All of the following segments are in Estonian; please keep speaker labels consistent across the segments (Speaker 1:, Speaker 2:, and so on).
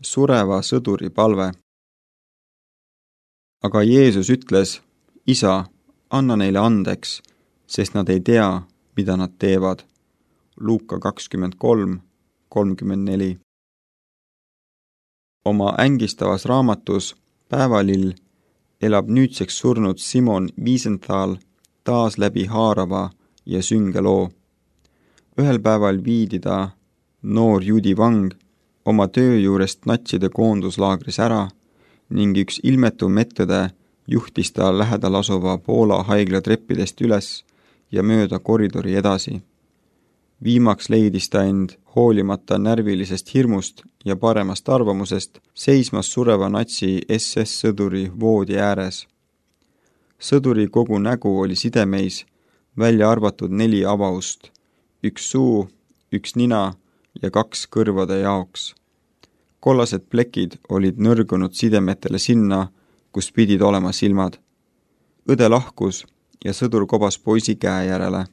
Speaker 1: Sureva sõduri palve. Aga Jeesus ütles, Isa, anna neile andeks, sest nad ei tea, mida nad teevad. Luuka 23:34. Oma ängistavas raamatus Päevalill elab nüüdseks surnud Simon Wiesenthal taas läbi haarava ja sünge loo. Ühel päeval viidi ta, noor juudi vang, oma töö juurest natside koonduslaagris ära ning üks ilmetu medõde juhtis ta lähedal asuva Poola haigla treppidest üles ja mööda koridori edasi. Viimaks leidis ta end hoolimata närvilisest hirmust ja paremast arvamusest seismas sureva natsi SS-sõduri voodi ääres. Sõduri kogu nägu oli sidemeis, välja arvatud 4 avaust, 1 suu, 1 nina ja 2 kõrvade jaoks. Kollased plekid olid nõrgunud sidemetele sinna, kus pidid olema silmad. Õde lahkus ja sõdur kobas poisi käe järele.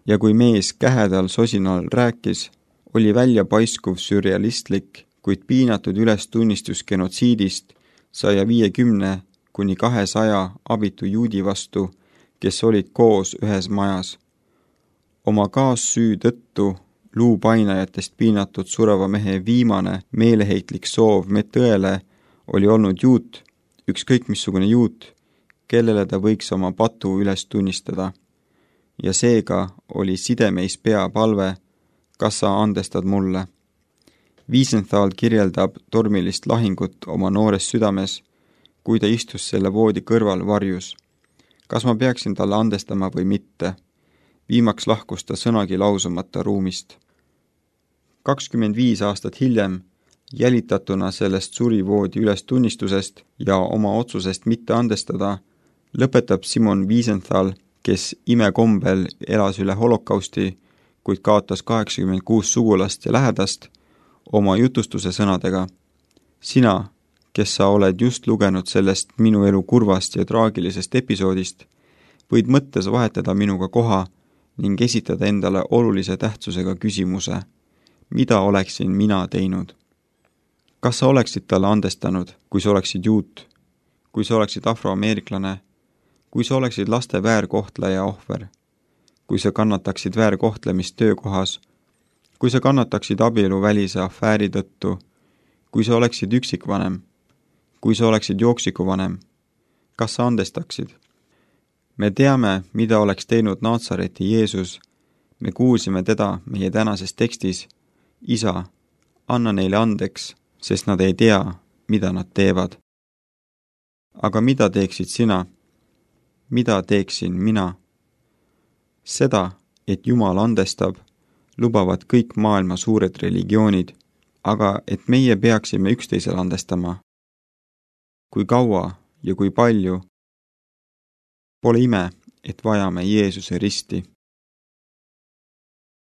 Speaker 1: Ja kui mees kähedal sosinal rääkis, oli välja paiskuv sürrealistlik, kuid piinatud ülestunnistus genotsiidist 150–200 abitu juudi vastu, kes olid koos ühes majas. Oma kaassüü tõttu luupainajatest piinatud sureva mehe viimane meeleheitlik soov medõele oli olnud juut, ükskõik missugune juut, kellele ta võiks oma patu üles tunnistada. Ja seega oli sidemeis peapalve, kas sa andestad mulle. Wiesenthal kirjeldab tormilist lahingut oma noores südames, kui ta istus selle voodi kõrval varjus. Kas ma peaksin talle andestama või mitte? Viimaks lahkus ta sõnagi lausumata ruumist. 25 aastat hiljem, jälitatuna sellest surivoodi ülestunnistusest ja oma otsusest mitte andestada, lõpetab Simon Wiesenthal, kes imekombel elas üle holokausti, kuid kaotas 86 sugulast ja lähedast, oma jutustuse sõnadega. Sina, kes sa oled just lugenud sellest minu elu kurvast ja traagilisest episoodist, võid mõttes vahetada minuga koha ning esitada endale olulise tähtsusega küsimuse, mida oleksin mina teinud? Kas sa oleksid talle andestanud, kui sa oleksid juut, kui sa oleksid afroameeriklane, kui sa oleksid laste väärkohtleja ohver, kui sa kannataksid väärkohtlemist töökohas, kui sa kannataksid abieluvälise afääri tõttu, kui sa oleksid üksikvanem, kui sa oleksid jooksikuvanem, kas sa andestaksid? Me teame, mida oleks teinud Naatsareti Jeesus. Me kuulsime teda meie tänases tekstis. Isa, anna neile andeks, sest nad ei tea, mida nad teevad. Aga mida teeksid sina? Mida teeksin mina? Seda, et Jumal andestab, lubavad kõik maailma suured religioonid, aga et meie peaksime üksteisele andestama. Kui kaua ja kui palju? Pole ime, et vajame Jeesuse risti.